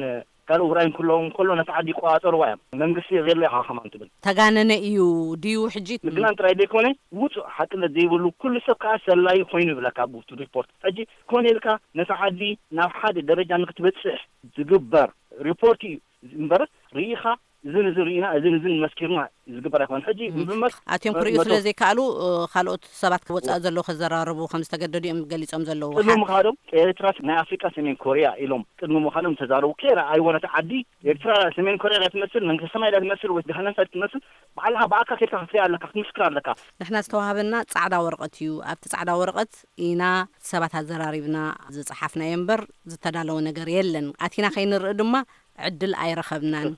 ካልእ ውራይን ክህልዎም ከሎ ነቲ ዓዲ ይቆጻጸርዋ እዮም። መንግስቲ የዘሎ ኢኻ ከማን ትብል። ተጋነነ እዩ ድዩ ሕጂ? ምግናን ጥራይ ዘይኮነ ውጹእ ሓቅነት ዘይብሉ ኩሉ ሰብ ከኣ ሰላዪ ኮይኑ ይብለካ ኣብቲ ሪፖርት። ሕጂ ኮነ ኢልካ ነታ ዓዲ ናብ ሓደ ደረጃ ንክትበጽሕ ዝግበር ሪፖርት እዩ እምበር ርኢኻ እዝን እዝን ርኢና እዝን እዝን መስኪርና ዝግበር ኣይኮነን። ሕጂ እም። ብምመስ-፣ ኣትዮም ክርእዩ መቶ ስለ ዘይከኣሉ፣ እ፣ ካልኦት ሰባት ወጻኢ ዘለዉ ክዘራረቡ ከም ዝተገደዱ እዮም ገሊጾም ዘለዉ። ቅድሚ ሓ- ምኻዶም ኤርትራ ናይ ኣፍሪቃ ሰሜን ኮርያ ኢሎም ቅድሚ ምዃኖም ተዛረቡ። ከይረኣይዎ ነቲ ዓዲ ኤርትራ ሰሜን ኮርያ እያ ትመስል፣ መንግስቲ ሰማይ እያ ትመስል፣ ወይ ገሃነም እሳት ትመስል፣ ባዕልኻ ብኣካ ከይድካ ክትሪኣ ኣለካ፣ ክትምስክር ኣለካ። ንሕና ዝተዋህበና ጻዕዳ ወረቐት እዩ። ኣብቲ ጻዕዳ ወረቐት ኢና ሰባት ኣዘራሪብና ዝጸሓፍናዮ እምበር ዝተዳለወ ነገር የለን። ኣቲና ከይንርኢ ድማ ዕድል ኣይረኸብናን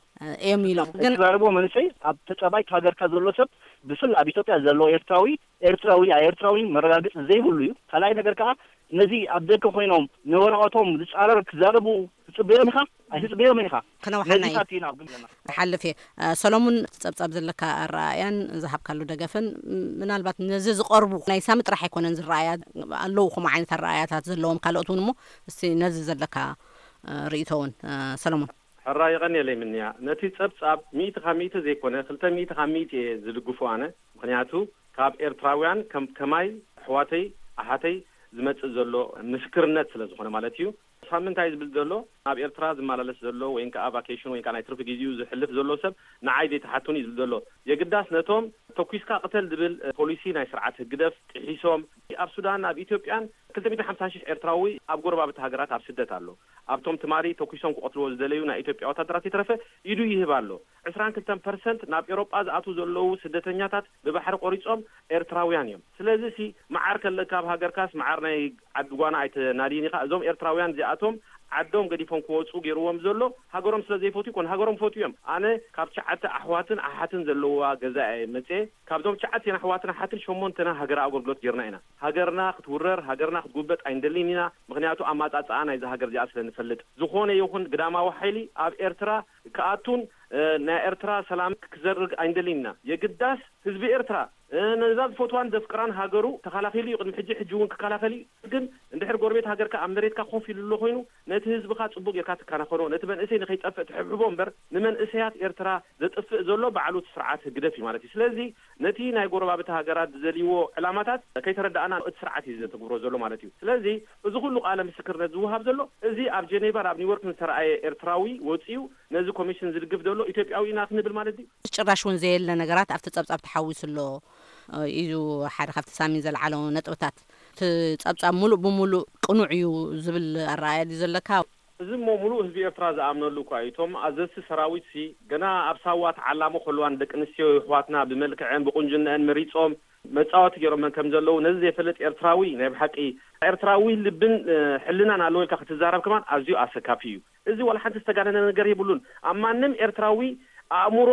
እዮም ኢሎም። ግን እትዛረብዎ መንእሰይ ኣብ ተጻባይት ሃገርካ ዘሎ ሰብ ብፍላይ ኣብ ኢትዮጵያ ዘሎ ኤርትራዊ፣ ኤርትራዊ፣ ኣይ ኤርትራዊ መረጋገጺ ዘይብሉ እዩ። ካልኣይ ነገር ከኣ ነዚ ኣብ ደገ ኮይኖም ንወረቐቶም ዝጻረር ክዛረቡ ትጽበዮም ኢኻ? ኣይትጽበዮምን ኢኻ። ክነውሓና እዩ። ነዚታት ኢና ኣብ ግምትና። ክሓልፍ እየ። እ፣ ሰሎሙን፣ ጸብጻብ ዘለካ ኣረኣእያን ዝሃብካሉ ደገፍን፣ ም-፣ ምናልባት ነዚ ዝቐርቡ ናይ ሳሚ ጥራሕ ኣይኮነን ዝረኣያ፣ ኣለዉ ከምኡ ዓይነት ኣረኣእያታት ዘለዎም ካልኦት እውን እሞ፣ እስቲ ነዚ ዘለካ፣ እ፣ ርእይቶ እውን፣ እ፣ ሰሎሙን። ሕራይ የቐንየለይ ምንያ። ነቲ ጸብጻብ ሚእቲ ካብ ሚእቲ ዘይኮነ፣ ክልተ ሚእቲ ካብ ሚእቲ እየ ዝድግፎ ኣነ። ምኽንያቱ ካብ ኤርትራውያን ከም ከማይ ኣሕዋተይ ኣሓተይ ዝመጽእ ዘሎ ምስክርነት ስለ ዝኾነ ማለት እዩ። ሳሚ እንታይ ዝብል ዘሎ፣ ኣብ ኤርትራ ዝመላለስ ዘሎ ወይ ከኣ ቫኬሽን ወይ ከኣ ናይ ትርፊ ግዜኡ ዝሕልፍ ዘሎ ሰብ ንዓይ ዘይትሓቱኒ እዩ ዝብል ዘሎ። የግዳስ ነቶም ተኲስካ ቅተል ዝብል ፖሊሲ ናይ ስርዓት ህግደፍ ጥሒሶም፣ ኣብ ሱዳን ኣብ ኢትዮጵያን ክልተ ሚእቲ ሓምሳ ሽሕ ኤርትራዊ ኣብ ጎረባብቲ ሃገራት ኣብ ስደት ኣሎ። ኣብቶም ትማሊ ተኲሶም ክቐትልዎ ዝደለዩ ናይ ኢትዮጵያ ወታደራት ይትረፈ ኢዱ ይህብ ኣሎ። ዕስራን ክልተን ፐርሰንት ናብ ኤውሮጳ ዝኣትዉ ዘለዉ ስደተኛታት ብባሕሪ ቆሪጾም ኤርትራውያን እዮም። ስለዚ ሲ መዓር ከለካ ኣብ ሃገርካስ መዓር ናይ ዓዲ ጓና ኣይተናድይን ኢኻ። እዞም ኤርትራውያን እዚኣቶም ዓዶም ገዲፎም ክወፁ ገይርዎም ዘሎ ሃገሮም ስለ ዘይፈትዩ ይኮን። ሃገሮም ፈትዩ እዮም። ኣነ ካብ ትሽዓተ ኣሕዋትን ኣሓትን ዘለውዋ ገዛ እየ መፅየ። ካብዞም ትሽዓተ ኣሕዋትን ኣሓትን ሸሞንተና ሃገራዊ ኣገልግሎት ጌርና ኢና። ሃገርና ክትውረር፣ ሃገርና ክትጉበጥ ኣይንደልን ኢና። ምክንያቱ ኣማፃፅኣ ናይዛ ሃገር እዚኣ ስለ ንፈልጥ። ዝኾነ ይኹን ግዳማዊ ሓይሊ ኣብ ኤርትራ ክኣቱን፣ እ፣ ናይ ኤርትራ ሰላም ክዘርግ ኣይንደልን ኢና። የግዳስ ህዝቢ ኤርትራ፣ እ፣ ነዛ ዝፈትዋን ዘፍቅራን ሃገሩ ተኸላኺሉ እዩ። ቅድሚ ሕጂ፣ ሕጂ እውን ክከላኸል እዩ። ግን እንድሕር ጎረቤት ሃገርካ ኣብ መሬትካ ኮፍ ኢሉ ኣሎ ኮይኑ፣ ነቲ ህዝብኻ ጽቡቕ ጌርካ ትከናኸኖ፣ ነቲ መንእሰይ ንኸይጠፍእ ትሕብሕቦ እምበር፣ ንመንእሰያት ኤርትራ ዘጥፍእ ዘሎ ባዕሉ እቲ ስርዓት ህግደፍ እዩ ማለት እዩ። ስለዚ ነቲ ናይ ጎረባብቲ ሃገራት ዝደልይዎ ዕላማታት ከይተረዳእና እቲ ስርዓት እዩ ዘተግብሮ ዘሎ ማለት እዩ። ስለዚ እዚ ኩሉ ቃለ ምስክርነት ዝወሃብ ዘሎ፣ እዚ ኣብ ጀኔቫ ኣብ ኒውዮርክ ዝተረኣየ ኤርትራዊ ወጺኡ ነዚ ኮሚሽን ዝድግፍ ዘሎ ኢትዮጵያዊ ኢና ክንብል ማለት ድዩ? ጭራሽ እውን ዘየለ ነገራት ኣብቲ ጸብጻብ ተሓዊሱ ኣሎ እዩ ሓደ ካብቲ ሳሚን ዘልዓሎ ነጥብታት። እቲ ጸብጻብ ሙሉእ ብሙሉእ ቅኑዕ እዩ ዝብል ኣረኣእያ ድዩ ዘለካ? እዚ እሞ ሙሉእ ህዝቢ ኤርትራ ዝኣምነሉ እኳ እዩ። እቶም ኣዘዝቲ ሰራዊት ሲ ገና ኣብ ሳዋ ተዓላሞ ከለዋ ንደቂ ኣንስትዮ ይሕዋትና ብመልክዐን ብቁንጅነአን መሪጾም መጻወቲ ገይሮመን ከም ዘለዉ ነዚ ዘይፈልጥ ኤርትራዊ ናይ ብሓቂ ኤርትራዊ ልብን፣ እ፣ ሕልናን ኣለዎ ኢልካ ክትዛረብ ከማን ኣዝዩ ኣሰካፊ እዩ። እዚ ዋላ ሓንቲ ዝተጋነነ ነገር የብሉን። ኣብ ማንም ኤርትራዊ ኣእምሮ፣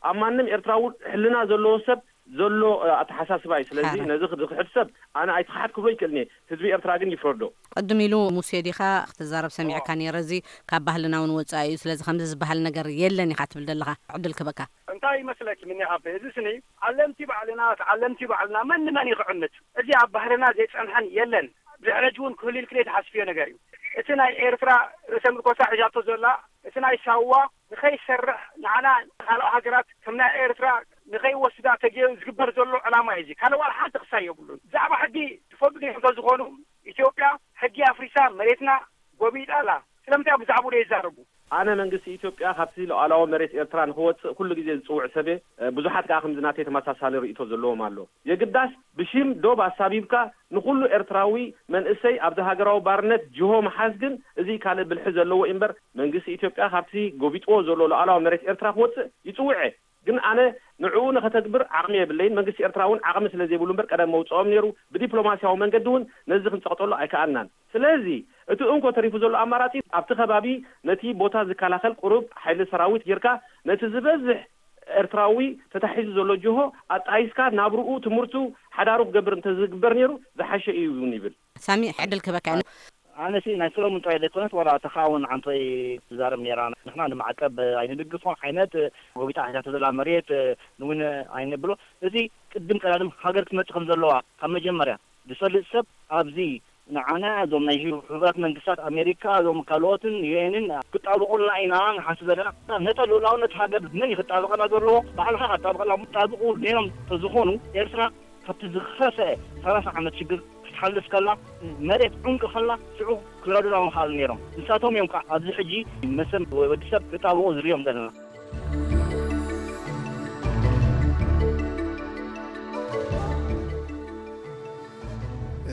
ኣብ ማንም ኤርትራዊ ሕልና ዘለዎ ሰብ ዘሎ፣ እ፣ ኣተሓሳስባ እዩ። ስለዚ ሓረ። ነዚ ክድሕድ ሰብ ኣነ ኣይትኽሓድ ክብሎ ይክእልን እየ። ህዝቢ ኤርትራ ግን ይፍረዶ። ቅድም ኢሉ ሙሴ ዲኻ ክትዛረብ ሰሚዕካ ነይረ። እዚ ካብ ባህልና እውን ወጻኢ እዩ። ስለዚ ከምዚ ዝበሃል ነገር የለን ኢኻ ትብል ዘለኻ። ዕድል ክበካ። እንታይ ይመስለኪ ምኒ ሃበ? እዚ ስኒ ዓለምቲ ባዕልና፣ ተዓለምቲ ባዕልና መን ንመን እዩ ክዕምት? እዚ ኣብ ባህልና ዘይጸንሐን የለን። ድሕሪ ሕጂ እውን ክህሉ ኢልክለይ ትሓስብዮ ነገር እዩ። እቲ ናይ ኤርትራ ርእሰ ምርኮሳ ሒዛቶ ዘላ፣ እቲ ናይ ሳዋ ንኸይሰርሕ ንዓና ካልኦ ሃገራት ከም ናይ ኤርትራ ንኸይወስዳ ተገይሩ ዝግበር ዘሎ ዕላማ እዩ። እዚ ካልእ ዋላ ሓንቲ ክሳይ የብሉን። ብዛዕባ ሕጊ ትፈልጡ ዲኹም? እንተዝኾኑ ኢትዮጵያ ሕጊ ኣፍሪሳ መሬትና ጎቢጣ ኣላ። ስለምንታይ ብዛዕባኡ ዘይዛረቡ? ኣነ መንግስቲ ኢትዮጵያ ካብቲ ሉዓላዊ መሬት ኤርትራ ንኽወጽእ ኩሉ ግዜ ዝጽውዕ ሰብ እየ። እ፣ ብዙሓት ከኣ ከምዚ ናተይ ተመሳሳሊ ርእይቶ ዘለዎም ኣሎ። የግዳስ ብሽም ዶብ ኣሳቢብካ ንኹሉ ኤርትራዊ መንእሰይ ኣብዚ ሃገራዊ ባርነት ጅሆ ምሓዝ ግን እዚ ካልእ ብልሒ ዘለዎ እዩ እምበር መንግስቲ ኢትዮጵያ ካብቲ ጎቢጥዎ ዘሎ ሉዓላዊ መሬት ኤርትራ ክወጽእ ይጽውዕ እየ። ግን ኣነ ንዕኡ ንኸተግብር ዓቕሚ የብለይን። መንግስቲ ኤርትራ እውን ዓቕሚ ስለ ዘይብሉ እምበር ቀደም መውጽኦም ነይሩ። ብዲፕሎማስያዊ መንገዲ እውን ነዚ ክንጸቕጠሉ ኣይከኣልናን። ስለዚ እቲ እንኮ ተሪፉ ዘሎ ኣማራጺ ኣብቲ ከባቢ ነቲ ቦታ ዝከላኸል ቁሩብ ሓይሊ ሰራዊት ጌርካ ነቲ ዝበዝሕ ኤርትራዊ ተታሒዙ ዘሎ ጅሆ ኣጣይስካ ናብርኡ፣ ትምህርቱ፣ ሓዳሩ ክገብር እንተዝግበር ነይሩ ዝሓሸ እዩ እውን ይብል። ሳሚ፣ ዕድል ክበካ። ኣነሲ ናይ ሰሎሙን ጥራይ ዘይኮነት፣ ዋላ እታ ኻውን ዓንቶይ ትዛረብ ነይራ። ንሕና ንማዕቀብ ኣይንድግፎ ዓይነት ጎቢጣ ሒዛቶ ዘላ መሬት እውን ኣይንብሎ። እዚ ቅድም ቀዳድም ሃገር ክትመጽእ ከም ዘለዋ ካብ መጀመርያ ዝፈልጥ ሰብ ኣብዚ ንዓና እዞም ናይ ሕቡራት መንግስታት ኣሜሪካ፣ እዞም ካልኦትን ዩኤንን ክጣብቑልና ኢና ንሓስብ ዘለና። ነታ ልኡላውነት ሃገር መን እዩ ክጣብቐና ዘለዎ? ባዕልኻ ክጣብቐና። ክጣብቑ ነይሮም ተዝኾኑ ኤርትራ ካብቲ ዝኸፍአ ሰላሳ ዓመት ሽግር ክትሓልፍ ከላ፣ መሬት ዑንቂ ከላ፣ ሽዑ ክረዱና ምኽኣሉ ነይሮም። ንሳቶም እዮም ከዓ ኣብዚ ሕጂ መሰል ወዲ ሰብ ክጣብቑ ዝሪኦም ዘለና።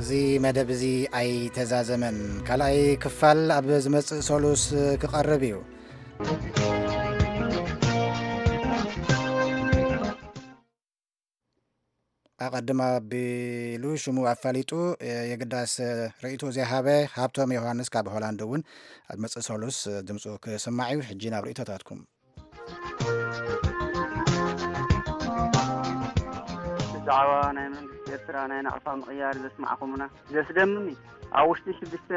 እዚ መደብ እዚ ኣይተዛዘመን። ካልኣይ ክፋል ኣብ ዝመጽእ ሰሉስ ክቐርብ እዩ። ኣቐድም ኣቢሉ ሽሙ ኣፋሊጡ፣ የግዳስ ርእይቶ ዘይሃበ ሃብቶም ዮሃንስ ካብ ሆላንድ እውን ኣብ መጽእ ሰሉስ ድምፁ ክስማዕ እዩ። ሕጂ ናብ ርእይቶታትኩም። ብዛዕባ ናይ መንግስቲ ኤርትራ ናይ ናቕፋ ምቕያር ዘስማዕኹምና ዘስደምም እዩ። ኣብ ውሽጢ ሽዱሽተ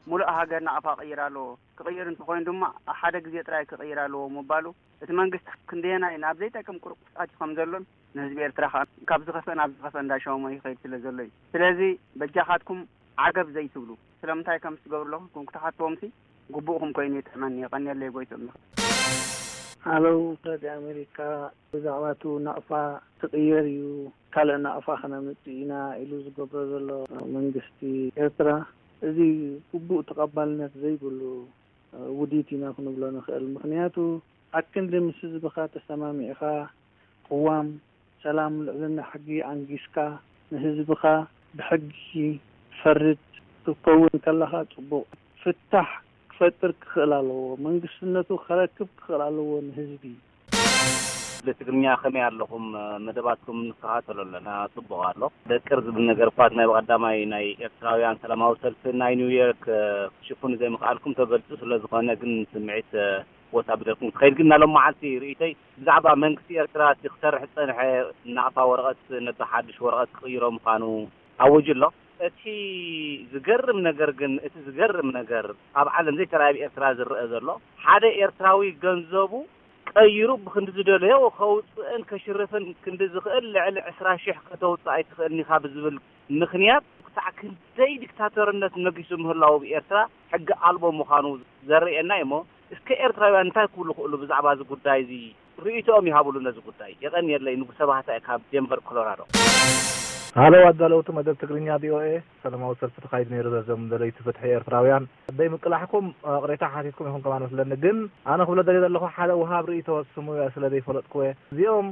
ሙሉእ ሃገር ናቕፋ ቅይር ኣለዎ። ክቕይር እንተኾይኑ ድማ ኣብ ሓደ ግዜ ጥራይ ክቕይር ኣለዎ ምባሉ፣ እቲ መንግስቲ ክንደየናይ ናብ ዘይጠቅም ቁርቁስ ኣትዩ ከም ዘሎን ንህዝቢ ኤርትራ ከኣ ካብ ዝኸፍአ ናብ ዝኸፍአ እንዳሸመሞ ይኸይድ ስለ ዘሎ እዩ። ስለዚ በጃኻትኩም ዓገብ ዘይትብሉ፣ ስለምንታይ ከም ትገብሩ ኣለኹም ክትሓትዎምሲ ግቡእኹም ኮይኑ ይጥዕመኒ። የቐንየለይ ጎይትኦም። ሃለው፣ ረድዮ ኣሜሪካ፣ ብዛዕባ እቲ ናቕፋ ክቕየር እዩ፣ ካልእ ናቕፋ ከነምጽእ ኢና ኢሉ ዝገብሮ ዘሎ መንግስቲ ኤርትራ፣ እዚ ግቡእ ተቐባልነት ዘይብሉ ውዲት ኢና ክንብሎ ንኽእል። ምኽንያቱ፣ ኣክንዲ ምስ ህዝብኻ ተሰማሚዕኻ፣ ቅዋም፣ ሰላም፣ ልዕልና ሕጊ ኣንጊስካ፣ ንህዝብኻ ብሕጊ ትፈርድ ክትከውን ከለኻ ጽቡቕ። ፍታሕ ክፈጥር ክኽእል ኣለዎ። መንግስትነቱ ከረክብ ክኽእል ኣለዎ ንህዝቢ። ብትግርኛ ከመይ ኣለኹም? መደባትኩም ንከታተሎ ኣለና፣ ጽቡቕ ኣሎ። ደቅር ዝብል ነገር እኳ ናይ ብቐዳማይ ናይ ኤርትራውያን ሰላማዊ ሰልፊ ናይ ኒውዮርክ ክሽፍኑ ዘይምኽኣልኩም ተገልጹ ስለ ዝኾነ ግን ስምዒት ቦታ ብደልኩም ክኸይድ ግን ናሎም መዓልቲ ርእይቶይ ብዛዕባ መንግስቲ ኤርትራ እቲ ክሰርሕ ዝጸንሐ ናቕፋ ወረቐት ነቲ ሓድሽ ወረቐት ክቕይሮ ምዃኑ ኣውጁ ኣሎ። እቲ ዝገርም ነገር ግን፣ እቲ ዝገርም ነገር ኣብ ዓለም ዘይተራእየ ኣብ ኤርትራ ዝረአ ዘሎ፣ ሓደ ኤርትራዊ ገንዘቡ ቀይሩ ብክንዲ ዝደለዮ ከውፅእን ከሽርፍን ክንዲ ዝኽእል ልዕሊ ዕስራ ሽሕ ከተውፅእ ኣይትኽእልን ኢኻ ብዝብል ምኽንያት ክሳዕ ክንደይ ዲክታተርነት ነጊሱ ምህላዉ ብኤርትራ ሕጊ ኣልቦ ምዃኑ ዘርእየና እዩ እሞ፣ እስከ ኤርትራውያን እንታይ ክብሉ ክእሉ ብዛዕባ እዚ ጉዳይ እዚ ርእይቶኦም ይሃብሉ ነዚ ጉዳይ። የቐንየለይ፣ ንጉሰ ባህታ ካብ ዴንቨር ኮሎራዶ። ሃሎ ኣዳለውቲ መደብ ትግርኛ ቪኦኤ፣ ሰላማዊ ሰልፊ ተኻይዱ ነይሩ በዞም ደለይቲ ፍትሒ ኤርትራውያን። ደይ ምቅላሕኩም ቅሬታ ሓቲትኩም ኢኹም ከማን መስለኒ፣ ግን ኣነ ክብሎ ደልየ ዘለኹ ሓደ ውሃብ ርእይቶ ስሙ ስለ ዘይፈለጥኩ እየ። እዚኦም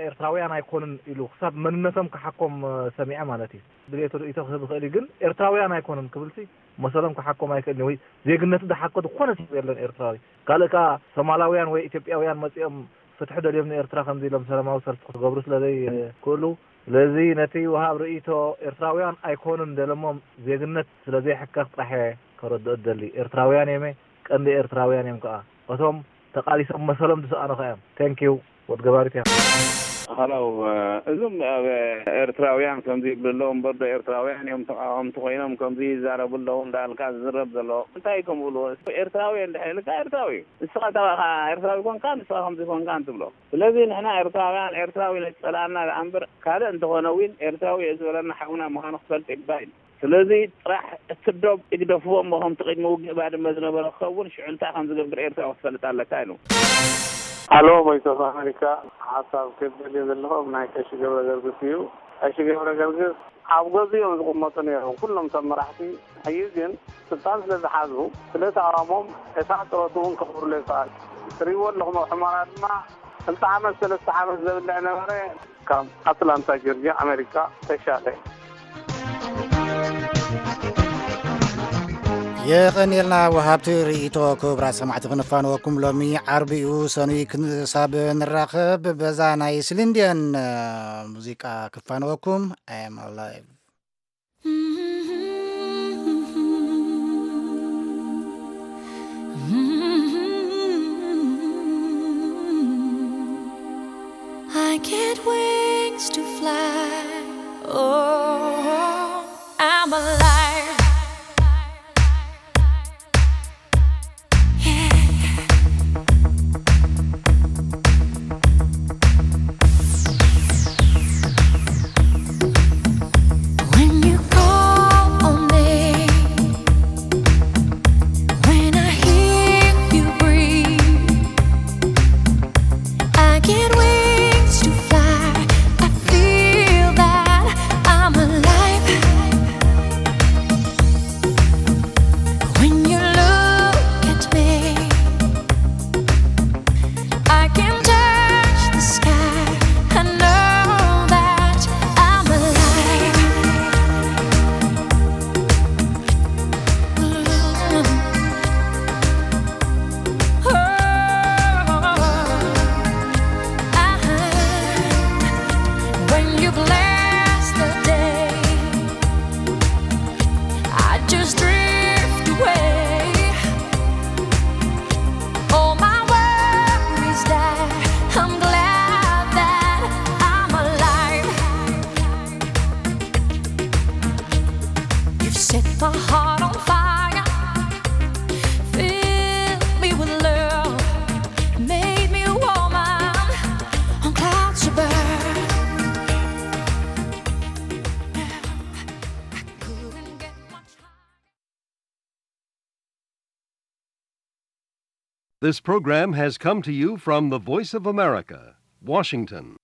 ኤርትራውያን ኣይኮኑን ኢሉ ክሳብ መንነቶም ክሓኮም ሰሚዐ ማለት እዩ። ድሌቱ ርእይቶ ክህብ ይኽእል እዩ፣ ግን ኤርትራውያን ኣይኮኑን ክብልሲ መሰሎም ክሓኮም ኣይክእልን እዩ። ወይ ዜግነቱ ዝሓኮ ዝኾነ ሰብ የለን ኤርትራዊ። ካልእ ከኣ ሶማላውያን ወይ ኢትዮጵያውያን መጺኦም ፍትሒ ደልዮም ንኤርትራ ከምዚ ኢሎም ሰላማዊ ሰልፊ ክገብሩ ስለ ዘይክእሉ፣ ስለዚ ነቲ ወሃብ ርእይቶ ኤርትራውያን ኣይኮኑን ደለሞም ዜግነት ስለ ዘይሕከኽ ጥራሕ እየ ከረድኦ እደሊ። ኤርትራውያን እየመ ቀንዲ ኤርትራውያን እዮም ከኣ። እቶም ተቓሊሶም መሰሎም ዝሰኣኑ ከኣ እዮም። Thank you። ወድ ገባሪት እያ። ሃሎ፣ እዞም ኣብ ኤርትራውያን ከምዚ ይብሉ ኣለዉ እምበር ዶ ኤርትራውያን እዮም ተቃወምቲ ኮይኖም ከምዚ ይዛረቡ ኣለዉ እንዳልካ ዝዝረብ ዘሎ እንታይ ከምኡ እሉ? ኤርትራዊ እንድሕር ኢልካ ኤርትራዊ እዩ። ንስኻ ተባኻ ኤርትራዊ ኮንካ ንስኻ ከምዚ ኮንካ እንትብሎ። ስለዚ ንሕና ኤርትራውያን ኤርትራዊ ነቲ ጸላእና ደኣ እምበር ካልእ እንተኾነ እውን ኤርትራዊ እየ ዝበለና ሓውና ምዃኑ ክፈልጥ ይግባእ ኢሉ። ስለዚ ጥራሕ እቲ ዶብ ይግደፍዎ እሞ ከምቲ ቅድሚ ውግእ ባድመ ዝነበረ ክኸውን ሽዑ እንታይ ከም ዝገብር ኤርትራዊ ክትፈልጥ ኣለካ ኢሉ። ሃሎ ቮይስ ኦፍ ኣሜሪካ፣ ሓሳብ ክብል ዘለኹ ናይ ቀሺ ገብረ ገርግስ እዩ። ቀሺ ገብረ ገርግስ ኣብ ገዝኡ እዮም ዝቕመጡ ነይሮም ኩሎም እቶም መራሕቲ። ሕጂ ግን ስልጣን ስለ ዝሓዙ ስለ ተቃወሞም እታ ጥረቱ እውን ከኽብርሉ ይከኣል። ትሪእዎ ኣለኹም ኣብ ሑመራ ድማ ክልተ ዓመት ሰለስተ ዓመት ዘብልዕ ነበረ። ካብ ኣትላንታ ጆርጅያ ኣሜሪካ ተሻለ። የቐንየልና ወሃብቲ ርእይቶ። ክቡራት ሰማዕቲ ክንፋንወኩም ሎሚ ዓርቢ እዩ ሰኑይ ክሳብ ንራኸብ በዛ ናይ ስሊንድየን ሙዚቃ ክፋንወኩም። I am alive. I get wings to fly. Oh, I'm alive. Yeah. When you call on me, when I hear you breathe, I get wings to fly. I feel that I'm alive. When you look at me, I can touch the sky. I know that I'm alive. Oh, I, when you bless the day, I just drift away. All my worries die. I'm glad that I'm alive. You've set my heart on fire. Fill me with love. Made me a woman on clouds above. Couldn't get much higher. This program has come to you from the Voice of America, Washington.